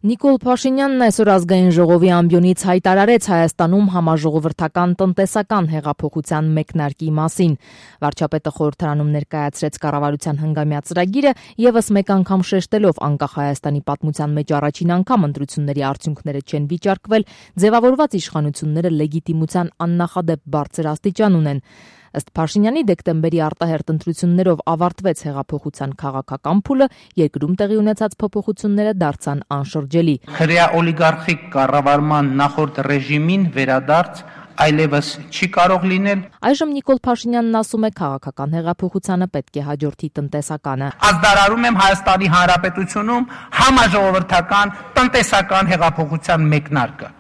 Նիկոլ Փաշինյանն այսօր ազգային ժողովի ամբիոնից հայտարարեց Հայաստանում համաժողովրդական տնտեսական հեղափոխության մեկնարկի մասին։ Վարչապետը խորհրդարանում ներկայացրեց կառավարության հնգամյա ծրագիրը, եւս մեկ անգամ շեշտելով անկախ Հայաստանի պատմության մեջ առաջին անգամ ընտրությունների արդյունքները չեն վիճարկվել, ձևավորված իշխանությունները լեգիտիմության աննախադեպ բարձր աստիճան ունեն։ Ըստ Փաշինյանի դեկտեմբերի արտահերթ ընտրություններով ավարտվեց հեղափոխության քաղաքական փուլը, երկրում տեղի ունեցած փոփոխությունները դարձան անշրջելի։ Հրեա օլիգարխիկ կառավարման նախորդ ռեժիմին վերադարձ այլևս չի կարող լինել։ Այժմ Նիկոլ Փաշինյանն ասում է, քաղաքական հեղափոխությանը պետք է հաջորդի տնտեսականը։ Ազդարարում եմ Հայաստանի Հանրապետությունում համաժողովրդական տնտեսական հեղափոխության մեկնարկը։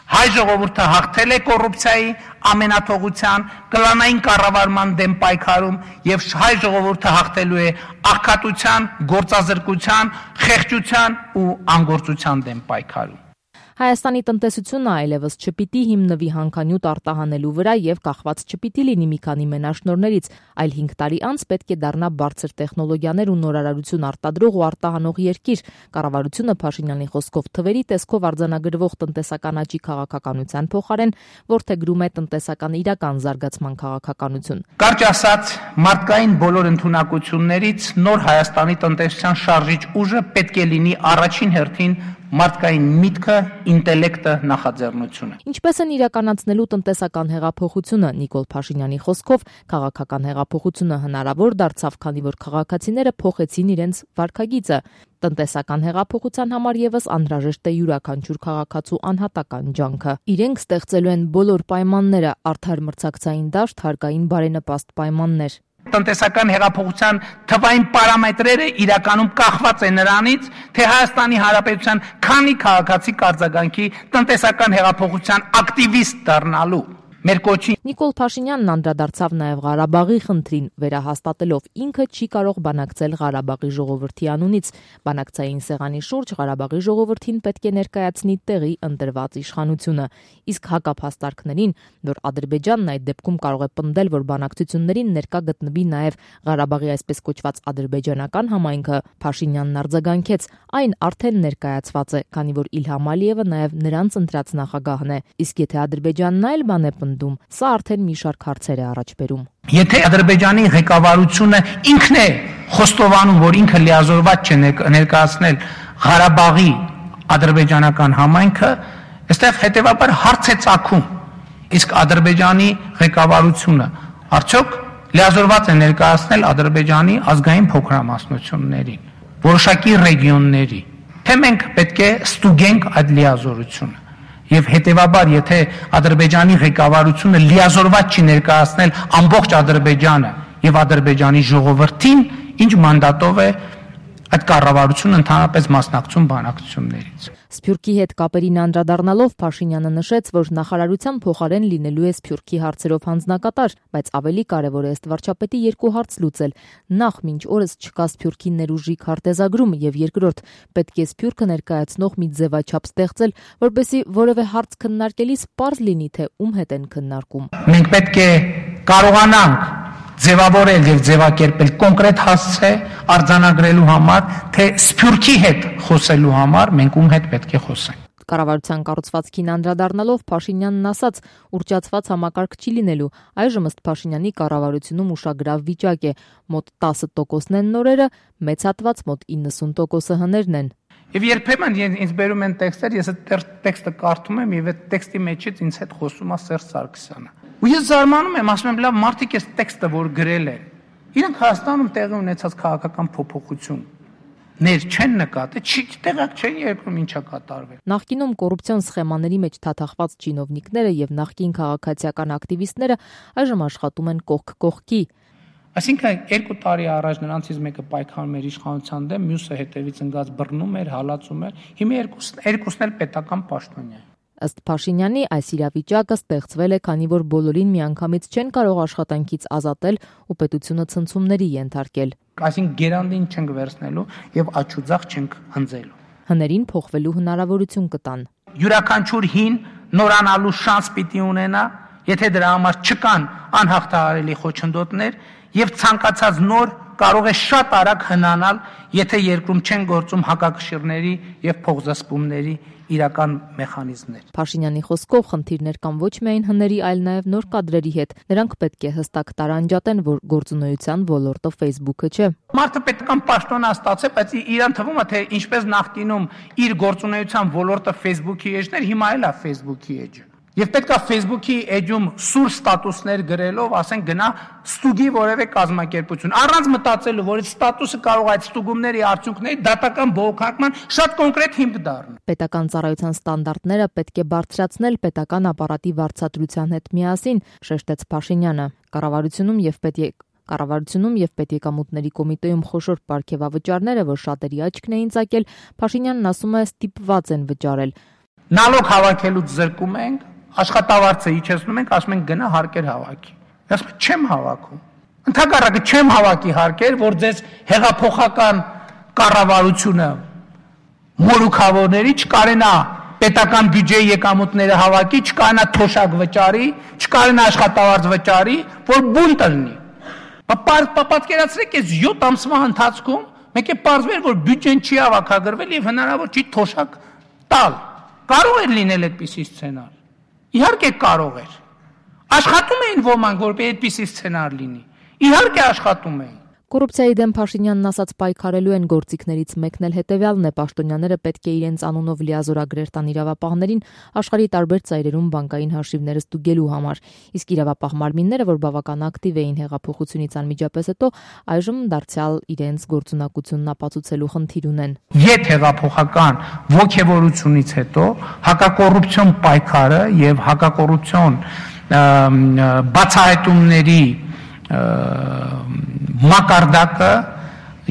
Հայ ժողովուրդը հաղթել է կոռուպցիայի, ամենաթողության, կլանային կառավարման դեմ պայքարում եւ հայ ժողովուրդը հաղթելու է աղքատության, գործազրկության, խեղճության ու անգործության դեմ պայքարում։ Հայաստանի տնտեսությունը այլևս չպիտի հիմնվի հանքանյութ արտահանելու վրա եւ կախված չպիտի լինի մի քանի մենաշնորհներից, այլ 5 տարի անց պետք է դառնա բարձր տեխնոլոգիաներ ու նորարարություն արտադրող ու արտահանող երկիր։ Կառավարությունը Փաշինյանի խոսքով թվերի տեսքով արձանագրվող տնտեսական աճի քաղաքականության փոխարեն որդեգրում է տնտեսական իրական զարգացման քաղաքականություն։ Կարճ ասած, մարդկային բոլոր ընդունակություններից նոր Հայաստանի տնտեսության շարժիչ ուժը պետք է լինի առաջին հերթին մարդկային միտքը, ինտելեկտը, նախաձեռնությունը։ Ինչպես են իրականացնելու տնտեսական հեղափոխությունը, Նիկոլ Փաշինյանի խոսքով քաղաքական հեղափոխությունը հնարավոր դարձավ, քանի որ քաղաքացիները փոխեցին իրենց վարքագիծը։ Տնտեսական հեղափոխության համար եւս անհրաժեշտ է յուրաքանչյուր քաղաքացու անհատական ջանքը։ Իրենք ստեղծելու են բոլոր պայմանները՝ արդար մրցակցային դաշտ, հարկային բարենպաստ պայմաններ։ Տնտեսական հեղափոխության թվային պարամետրերը իրականում կախված են նրանից, թե Հայաստանի Հանրապետության քանի քաղաքացի կարձագանքի տնտեսական հեղափոխության ակտիվիստ դառնալու։ Մեր կոչի Նիկոլ Փաշինյանն անդրադարձավ նաև Ղարաբաղի խնդրին, վերահաստատելով ինքը չի կարող բանակցել Ղարաբաղի ժողովրդի անունից։ Բանակցային սեղանի շուրջ Ղարաբաղի ժողովրդին պետք է ներկայացնի տեղի ընտրված իշխանությունը։ Իսկ հակափաստարկներին, որ Ադրբեջանն այդ դեպքում կարող է պնդել, որ բանակցություններին ներկա գտնվի նաև Ղարաբաղի այսպես կոչված ադրբեջանական համայնքը, Փաշինյանն արձագանքեց, այն արդեն ներկայացված է, քանի որ Իլհամ Ալիևը նաև նրանց ընտրած նախագահն է։ Իսկ եթե Ադրբեջանն այլ բան է սա արդեն մի շարք հարցեր է առաջ բերում։ Եթե Ադրբեջանի ղեկավարությունը ինքն է խոստովանում, որ ինքը լիազորված չէ ներկայացնել Ղարաբաղի ադրբեջանական համայնքը, այստեղ հետևաբար հարց է ծագում։ Իսկ Ադրբեջանի ղեկավարությունը արդյոք լիազորված է ներկայացնել Ադրբեջանի ազգային փոքրամասնություններին, որոշակի ռեգիոնների, թե մենք պետք է ստուգենք այդ լիազորությունը։ Եվ հետևաբար, եթե Ադրբեջանի ղեկավարությունը լիազորված չի ներկայացնել ամբողջ Ադրբեջանը եւ Ադրբեջանի ժողովրդին, ինչ մանդատով է այդ կառավարությունը ընդհանրապես մասնակցում բանակցություններից։ Սփյուռքի հետ կապերին անդրադառնալով Փաշինյանը նշեց, որ նախարարության փոխարեն լինելու է Սփյուռքի հարցերով հանձնակատար, բայց ավելի կարևոր է ըստ վարչապետի երկու հարց լուծել։ Նախ, մինչ օրս չկա Սփյուռքի ներուժի քարտեզագրում, եւ երկրորդ, պետք է Սփյուռքը ներկայացնող մի ձևաչափ ստեղծել, որպեսզի որևէ հարց քննարկելիս պարզ լինի, թե ում հետ են քննարկում։ Մենք պետք է կարողանանք ձևավորել եւ ձևակերպել կոնկրետ հասցե արձանագրելու համար, թե Սփյուռքի հետ խոսելու համար մենք ում հետ պետք է խոսենք։ Կառավարության կառուցվածքին անդրադառնալով Փաշինյանն ասաց, ուռճացված համակարգ չի լինելու։ Այժմ ըստ Փաշինյանի կառավարությունում ուշագրավ վիճակ է, մոտ 10%-ն են նորերը, մեծ հատված մոտ 90%-ը հներն են։ Եվ երբեմն ինձ բերում են տեքստեր, ես այդ տեքստը կարդում եմ եւ այդ տեքստի մեջից ինձ հետ խոսում է Սերժ Սարգսյանը։ Ու ես զարմանում եմ, ասում եմ, լավ, մարդիկ այս տեքստը որ գրել են, իրենք Հայաստանում տեղի ունեցած քաղաքական փոփոխություններ չեն նկատել, տեղակ չեն երկրում ինչա կատարվել։ Նախկինում կոռուպցիոն սխեմաների մեջ թաթախված չինովնիկները եւ նախկին քաղաքացիական ակտիվիստները այժմ աշխատում են կողք կողքի։ Այսինքն 2 տարի առաջ նրանցից մեկը պայքարում էր իշխանության դեմ, մյուսը հետևից ընկած բռնում էր, հալածում էր։ Հիմա երկուսն էլ պետական պաշտոնյա են։ Ըստ Փաշինյանի, այս իրավիճակը ստեղծվել է, քանի որ բոլորին միանգամից չեն կարող աշխատանքից ազատել ու պետությունը ցնցումների ենթարկել։ Այսինքն գերանդին չենք վերցնելու եւ աչուձախ չենք հնձելու։ Հներին փոխվելու հնարավորություն կտան։ Յուրաքանչյուր հին նորանալու շանս պիտի ունենա, եթե դրա համար չկան անհաղթահարելի խոչընդոտներ եւ ցանկացած նոր կարող է շատ արագ հնանալ, եթե երկրում չեն գործում հակակշիռների եւ փոխզսպումների իրական մեխանիզմներ։ Փաշինյանի խոսքով խնդիրներ կան ոչ միայն հների, այլ նաև նոր կադրերի հետ։ Նրանք պետք է հստակ տարանջատեն, որ գործունեության ոլորտը Facebook-ը չէ։ Մարդը պետքան պաշտոնա ստացե, բայց իրան թվում է, թե ինչպես նախկինում իր գործունեության ոլորտը Facebook-ի էջներ, հիմա էլ է Facebook-ի էջը։ Եվ պետքա Facebook-ի էջում սուր ստատուսներ գրելով, ասենք գնա ստուգի որևէ կազմակերպություն, առանց մտածելու, որ այդ ստատուսը կարող է այդ ստուգումների արդյունքների դատական բողոքարկման շատ կոնկրետ հիմք դառնա։ Պետական ծառայության ստանդարտները պետք է բարձրացնել պետական ապարատի վարձատրության հետ միասին, շեշտեց Փաշինյանը։ Կառավարությունում եւ պետեկամուտների կոմիտեում խոշոր պարգևավճարները, որ շատերի աչքն էին ծակել, Փաշինյանն ասում է ստիպված են վճարել։ Նալոգ հավաքելուց զրկում ենք, աշխատավարձը իջեցնում ենք, ասում ենք գնա հարկեր հավաքի։ Ասում եմ չեմ հավաքում։ Ընդհակառակը չեմ հավաքի հարկեր, որ ձեզ հեղափոխական կառավարությունը մորուքավորների չկարենա պետական բյուջեի եկամուտները հավաքի, չկարենա թոշակ վճարի, չկարենա աշխատավարձ վճարի, որ բունտ լինի։ Պատկերացրեք, այս 7 ամսվա ընթացքում մեկ է պարզվել, որ բյուջեն չի հավաքագրվել եւ հնարավոր չի թոշակ տալ։ Կարող էր լինել այդպիսի սցենար։ Իհարկե կարող էր։ Աշխատում էին ոմանք, որպեսզի այդպիսի սցենար լինի։ Իհարկե աշխատում էին։ Կոռուպցիայի դեմ Փաշինյանն ասաց պայքարելու են գործիքներից մեկն էլ հետևյալն է. պաշտոնյաները պետք է իրենց անունով լիազորագրեր տան իրավապահներին աշխարհի տարբեր ծայրերում բանկային հաշիվները ստուգելու համար։ Իսկ իրավապահ մարմինները, որ բավական ակտիվ էին հեղափոխությունից անմիջապես հետո, այժմ դարձյալ իրենց գործունակությունն ապացուցելու խնդիր ունեն։ Եթ հեղափոխական ողջևորությունից հետո հակակոռուպցիոն պայքարը եւ հակակոռուպցիոն բացահայտումների մակարդակը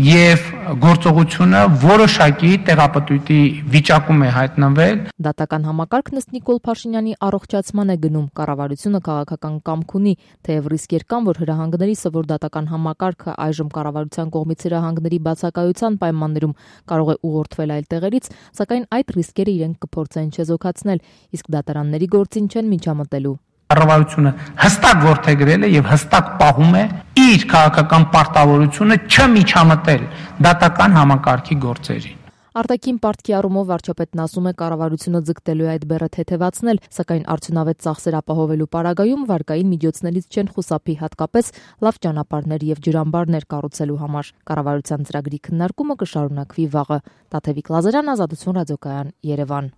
եւ գործողությունը որոշակի տեղապտույտի վիճակում է հայտնվել։ Դատական համակարգն ըստ Նիկոլ Փաշինյանի առողջացման է գնում։ Կառավարությունը քաղաքական կամք ունի, թեև ռիսկեր կան, որ հրահանգների սովոր դատական համակարգը այժմ կառավարության կողմից հրահանգների բացակայության պայմաններում կարող է ուղղորդվել այլ տեղերից, սակայն այդ ռիսկերը իրենք կփորձեն չեզոքացնել, իսկ դատարանների գործին չեն միջամտելու։ Կառավարությունը հստակ որդեգրել է եւ հստակ պահում է իր քաղաքական պարտավորությունը չմիջամտել դատական համակարգի գործերին։ Արտաքին պարտքի առումով վարչապետն ասում է կառավարությունը ձգտելու է այդ բեռը թեթևացնել, սակայն արդյունավետ ծախսեր ապահովելու պարագայում վարկային միջոցներից չեն խուսափի, հատկապես լավ ճանապարհներ եւ ջրամբարներ կառուցելու համար։ Կառավարության ծրագրի քննարկումը կշարունակվի վաղը։ Տաթևիկ Լազարյան, Ազատություն ռադիոկայան, Երևան։